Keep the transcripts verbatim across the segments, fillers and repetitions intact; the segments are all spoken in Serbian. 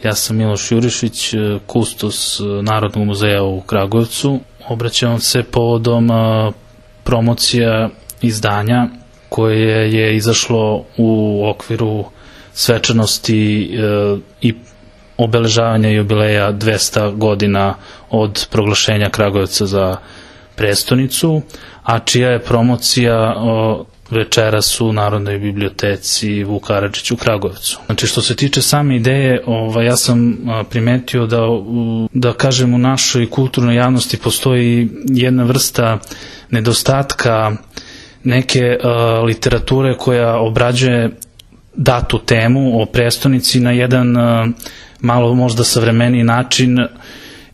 Ja sam Miloš Jurišić, kustos Narodnog muzeja u Kragujevcu. Obraćam se povodom promocija izdanja koje je izašlo u okviru svečanosti i obeležavanja jubileja dvesta godina od proglašenja Kragujevca za prestonicu, a čija je promocija večeras u Narodnoj biblioteci Vuk Karadžić u Kragujevcu. Znači, što se tiče same ideje, ovaj, ja sam primetio da, da kažem, u našoj kulturnoj javnosti postoji jedna vrsta nedostatka neke uh, literature koja obrađuje datu temu o prestonici na jedan uh, malo možda savremeniji način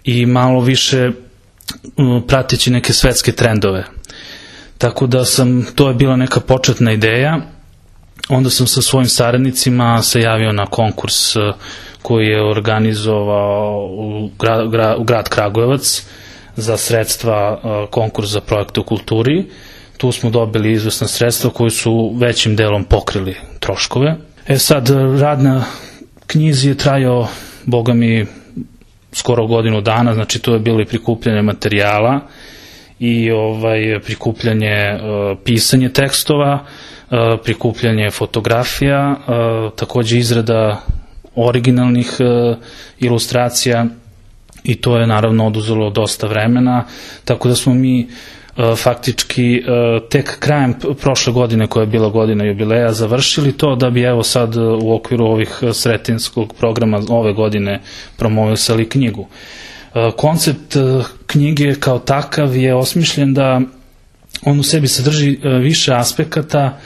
i malo više uh, prateći neke svetske trendove. Tako da sam, to je bila neka početna ideja, onda sam sa svojim saradnicima se javio na konkurs uh, koji je organizovao u grad, gra, u grad Kragujevac za sredstva, uh, konkurs za projekte u kulturi. Tu smo dobili izvesna sredstva koji su većim delom pokrili troškove. E sad, rad na knjizi je trajao, boga mi, skoro godinu dana, znači to je bilo i prikupljanje materijala i ovaj, prikupljanje, uh, pisanje tekstova, uh, prikupljanje fotografija, uh, takođe izrada originalnih uh, ilustracija i to je naravno oduzelo dosta vremena, tako da smo mi faktički tek krajem prošle godine, koja je bila godina jubileja, završili to, da bi evo sad u okviru ovih sretinskog programa ove godine promovisali knjigu. Koncept knjige kao takav je osmišljen da on u sebi sadrži više aspekata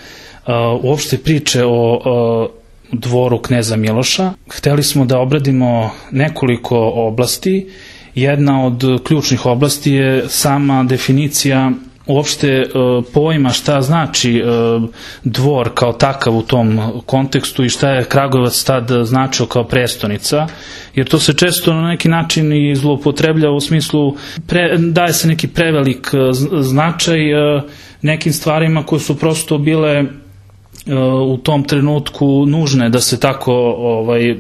uopšte priče o dvoru kneza Miloša. Hteli smo da obradimo nekoliko oblasti. Jedna od ključnih oblasti je sama definicija uopšte pojma šta znači dvor kao takav u tom kontekstu i šta je Kragujevac tad značio kao prestonica, jer to se često na neki način i zloupotrebljava u smislu, pre, daje se neki prevelik značaj nekim stvarima koje su prosto bile u tom trenutku nužne da se tako ovaj,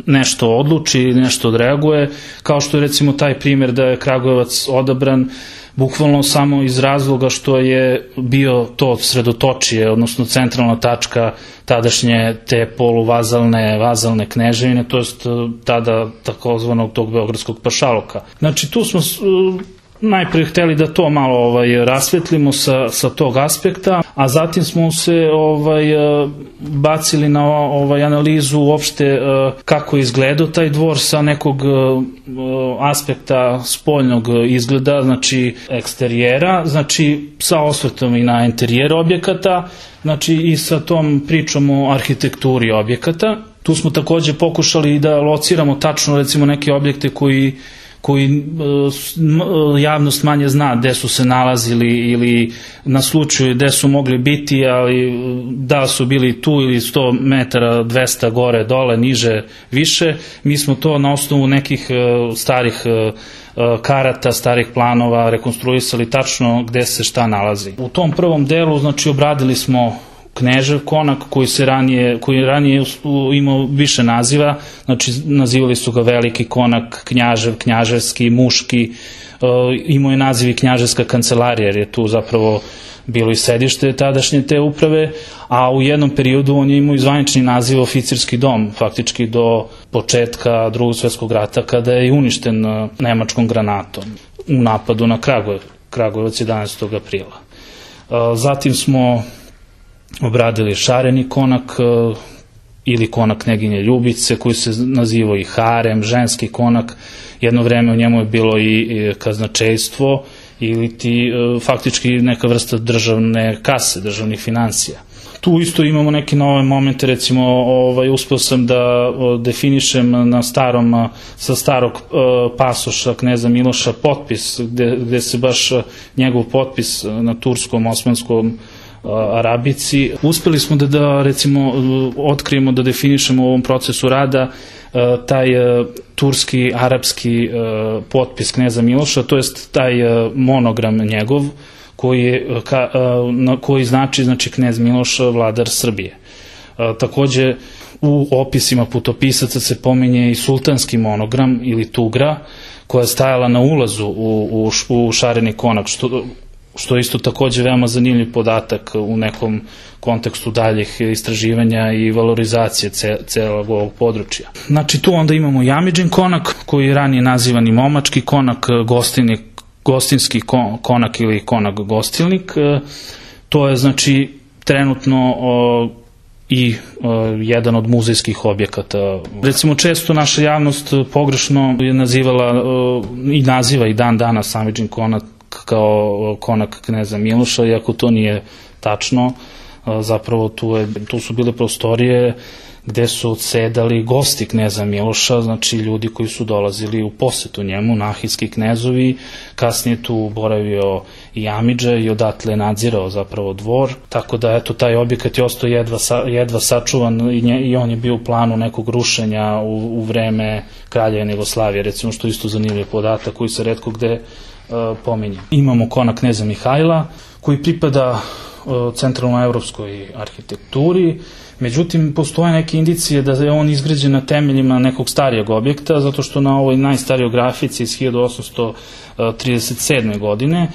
nešto odluči ili nešto odreaguje, kao što je recimo taj primjer da je Kragujevac odabran bukvalno samo iz razloga što je bio to sredotočije, odnosno centralna tačka tadašnje te poluvazalne vazalne kneževine, to jest tada takozvanog tog beogradskog pašaluka. Znači tu smo najpre hteli da to malo ovaj, rasvetlimo sa, sa tog aspekta, a zatim smo se ovaj, bacili na ovaj, analizu uopšte kako je izgledao taj dvor sa nekog aspekta spoljnog izgleda, znači eksterijera, znači sa osvrtom i na interijer objekata, znači i sa tom pričom o arhitekturi objekata. Tu smo takođe pokušali da lociramo tačno recimo neke objekte koji koji javnost manje zna gde su se nalazili ili na slučaju gde su mogli biti, ali da su bili tu ili sto metara, dvesta gore, dole, niže, više. Mi smo to na osnovu nekih starih karata, starih planova rekonstruisali tačno gde se šta nalazi. U tom prvom delu, znači, obradili smo Knežev konak koji se ranije, koji je ranije imao više naziva, znači nazivali su ga Veliki konak, Knjažev, Knjaževski, Muški, imao je naziv i Knjaževska kancelarija, jer je tu zapravo bilo i sedište tadašnje te uprave, a u jednom periodu on je imao i zvanični naziv Oficirski dom, faktički do početka Drugog svjetskog rata, kada je uništen nemačkom granatom u napadu na Kragujevac, Kragujevac jedanaestog aprila. Zatim smo obradili Šareni konak ili konak Kneginje Ljubice, koji se nazivao i harem, ženski konak. Jedno vreme u njemu je bilo i kaznačejstvo ili ti faktički neka vrsta državne kase, državnih financija. Tu isto imamo neke nove momente, recimo ovaj, uspeo sam da definišem na starom, sa starog pasoša kneza Miloša potpis, gde, gde se baš njegov potpis na turskom, osmanskom arabici. Uspeli smo da, da recimo otkrijemo, da definišemo u ovom procesu rada taj turski, arapski potpis kneza Miloša, to jest taj monogram njegov koji, je, ka, koji znači, znači knez Miloš, vladar Srbije. Takođe, u opisima putopisaca se pominje i sultanski monogram ili tugra, koja je stajala na ulazu u, u, u šareni konak, što, što je isto takođe veoma zanimljiv podatak u nekom kontekstu daljih istraživanja i valorizacije ce, celog ovog područja. Znači, tu onda imamo Jamidžin konak, koji je ranije nazivan i Momački konak, gostilnik, gostinski konak ili konak gostilnik. To je, znači, trenutno o, i o, jedan od muzejskih objekata. Recimo, često naša javnost pogrešno je nazivala o, i naziva i dan danas Jamidžin konak kao konak kneza Miloša, iako to nije tačno. Zapravo tu, je, tu su bile prostorije gde su odsedali gosti kneza Miloša, znači ljudi koji su dolazili u posetu njemu, nahijski knezovi. Kasnije tu boravio i Jamidža i odatle nadzirao zapravo dvor, tako da eto, taj objekat je ostao jedva, jedva sačuvan i, nje, i on je bio u planu nekog rušenja u, u vreme Kraljevine Jugoslavije, recimo, što isto zanimljiv podatak koji se retko gde uh, pominje. Imamo konak kneza Mihajla koji pripada centralnoevropskoj arhitekturi, međutim postoje neke indicije da je on izgrađen na temeljima nekog starijeg objekta, zato što na ovoj najstarijoj grafici iz hiljadu osamsto trideset sedme. godine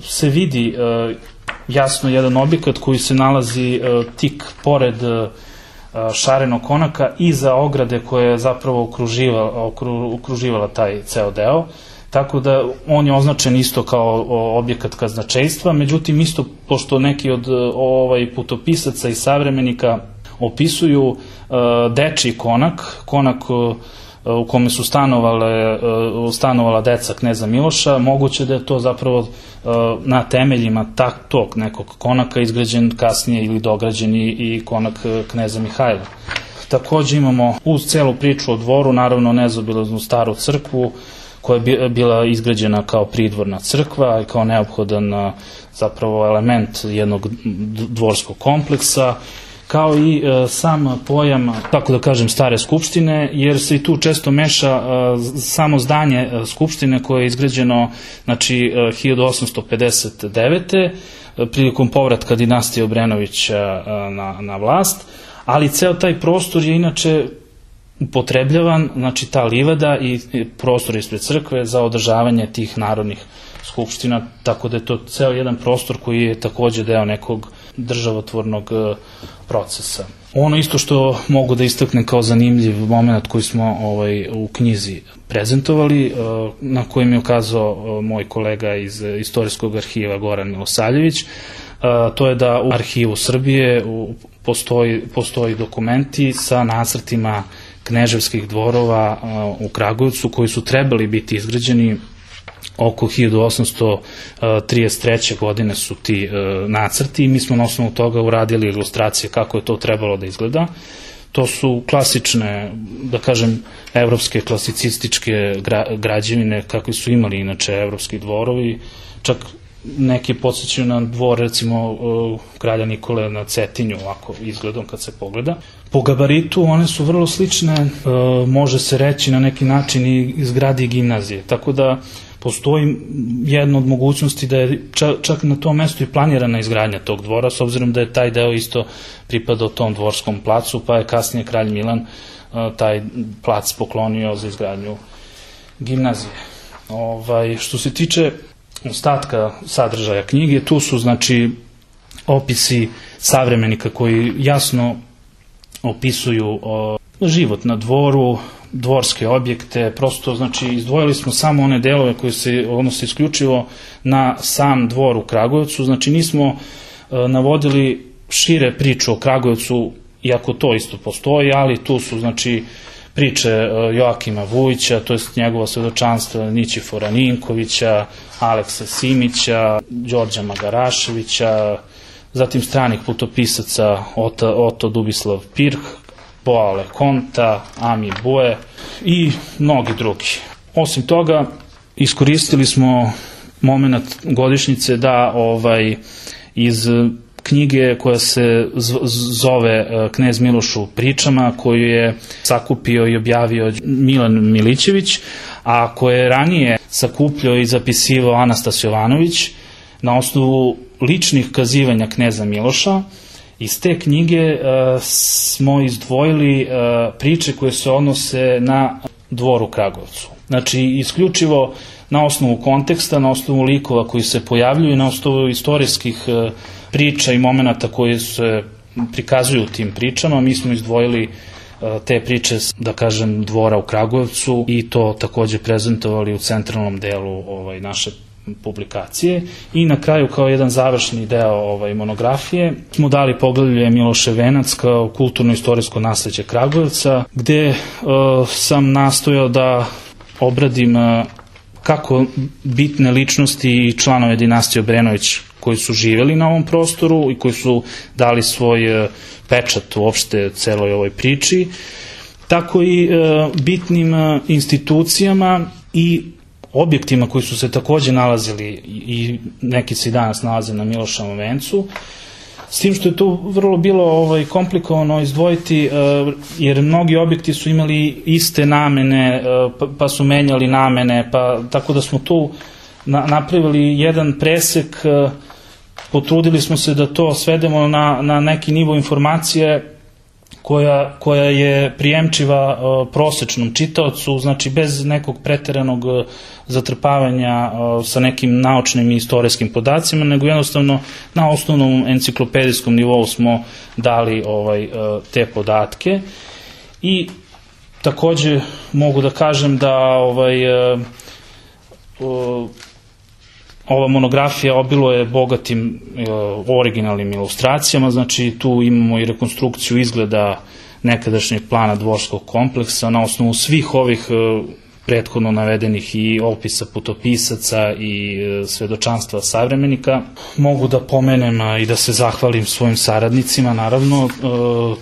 se vidi jasno jedan objekat koji se nalazi tik pored šarenog konaka iza ograde koja je zapravo okruživala, okruživala taj ceo deo. Tako da on je označen isto kao objekat kazначейstva, međutim isto pošto neki od ovaj putopisaca i savremenika opisuju uh, dečiji konak, konak uh, u kome su stanovale, uh, stanovala deca kneza Miloša, moguće da je to zapravo uh, na temeljima tak, tog nekog konaka izgrađen kasnije ili dograđen i, i konak kneza Mihajla. Takođe imamo uz celu priču o dvoru, naravno nezaobilaznu staru crkvu, koja je bila izgrađena kao pridvorna crkva i kao neophodan zapravo element jednog dvorskog kompleksa, kao i e, sam pojam, tako da kažem, stare skupštine, jer se i tu često meša e, samo zdanje skupštine koje je izgrađeno, znači, e, hiljadu osamsto pedeset devete. prilikom povratka dinastije Obrenovića e, na, na vlast, ali ceo taj prostor je inače upotrebljavan, znači ta livada i prostor ispred crkve za održavanje tih narodnih skupština, tako da je to ceo jedan prostor koji je takođe deo nekog državotvornog procesa. Ono isto što mogu da istaknem kao zanimljiv moment koji smo ovaj, u knjizi prezentovali, na kojem je ukazao moj kolega iz Istorijskog arhiva Goran Milosavljević, to je da u arhivu Srbije postoji, postoji dokumenti sa nacrtima kneževskih dvorova u Kragujevcu koji su trebali biti izgrađeni oko hiljadu osamsto trideset treće. godine su ti nacrti i mi smo na osnovu toga uradili ilustracije kako je to trebalo da izgleda. To su klasične, da kažem, evropske klasicističke građevine kakve su imali inače evropski dvorovi, čak neki podsjećaju na dvor, recimo, kralja Nikole na Cetinju, ovako izgledom kad se pogleda. Po gabaritu one su vrlo slične, može se reći na neki način i zgradi gimnazije, tako da postoji jedna od mogućnosti da je čak na tom mestu i planirana izgradnja tog dvora, s obzirom da je taj deo isto pripadao tom dvorskom placu, pa je kasnije kralj Milan taj plac poklonio za izgradnju gimnazije. Ovaj, što se tiče ostatka sadržaja knjige, tu su, znači, opisi savremenika koji jasno opisuju o, život na dvoru, dvorske objekte, prosto, znači, izdvojili smo samo one delove koji se odnose isključivo na sam dvor u Kragujevcu, znači nismo e, navodili šire priču o Kragujevcu, iako to isto postoji, ali tu su, znači, priče Joakima Vujića, to je njegova svedočanstva Nićifora Ninkovića, Aleksa Simića, Đorđa Magaraševića, zatim stranih putopisaca Ota, Oto Dubislav Pirh, Boa Lekonta, Ami Bue i mnogi drugi. Osim toga, iskoristili smo moment godišnjice da ovaj, iz knjige koja se zove Knez Miloš u pričama, koju je sakupio i objavio Milan Milićević, a koje je ranije sakupljao i zapisivao Anastas Jovanović na osnovu ličnih kazivanja kneza Miloša Iz te knjige smo izdvojili priče koje se odnose na dvor u Kragujevcu. Znači, isključivo na osnovu konteksta, na osnovu likova koji se pojavljuju i na osnovu istorijskih priča i momenata koje se prikazuju u tim pričama, mi smo izdvojili te priče, da kažem, dvora u Kragujevcu i to takođe prezentovali u centralnom delu ovaj, naše publikacije. I na kraju, kao jedan završni deo ovaj, monografije, smo dali poglavlje Miloše Venac kao kulturno-istorijsko nasleđe Kragujevca, gde uh, sam nastojao da obradim uh, kako bitne ličnosti i članove dinastije Obrenović koji su živeli na ovom prostoru i koji su dali svoj uh, pečat uopšte celoj ovoj priči, tako i uh, bitnim uh, institucijama i objektima koji su se takođe nalazili i neki se i danas nalaze na Miloševom vencu, s tim što je tu vrlo bilo ovaj, komplikovano izdvojiti, uh, jer mnogi objekti su imali iste namene, uh, pa, pa su menjali namene, pa tako da smo tu na, napravili jedan presek, uh, potrudili smo se da to svedemo na, na neki nivo informacije koja, koja je prijemčiva uh, prosečnom čitaocu, znači bez nekog preteranog uh, zatrpavanja uh, sa nekim naučnim i istorijskim podacima, nego jednostavno na osnovnom enciklopedijskom nivou smo dali ovaj, uh, te podatke. I takođe mogu da kažem da ovaj, uh, uh, ova monografija obiluje bogatim e, originalnim ilustracijama, znači tu imamo i rekonstrukciju izgleda nekadašnjeg plana dvorskog kompleksa na osnovu svih ovih e, prethodno navedenih i opisa putopisaca i e, svedočanstva savremenika. Mogu da pomenem a, i da se zahvalim svojim saradnicima, naravno, e,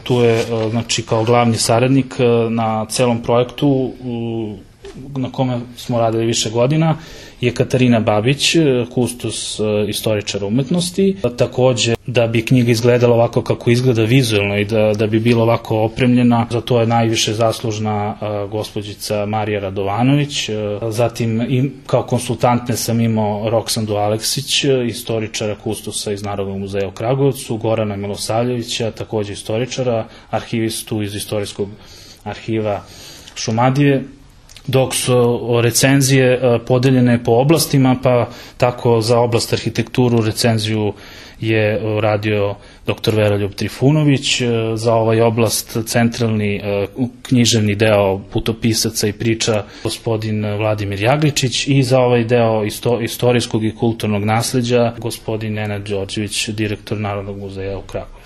tu je e, znači, kao glavni saradnik e, na celom projektu e, na kome smo radili više godina, je Katarina Babić, kustos istoričara umetnosti. Takođe, da bi knjiga izgledala ovako kako izgleda vizuelno i da, da bi bila ovako opremljena, za to je najviše zaslužna a, gospođica Marija Radovanović. A, zatim, i, kao konsultantne sam imao Roksandu Aleksić, istoričara kustosa iz Narodnog muzeja u Kragujevcu, Gorana Milosavljevića, takođe istoričara, arhivistu iz Istorijskog arhiva Šumadije, dok su recenzije podeljene po oblastima, pa tako za oblast arhitekturu recenziju je radio doktor Veroljub Trifunović, za ovaj oblast centralni književni deo putopisaca i priča gospodin Vladimir Jagličić i za ovaj deo istorijskog i kulturnog nasleđa gospodin Nenad Đorđević, direktor Narodnog muzeja u Kragujevcu.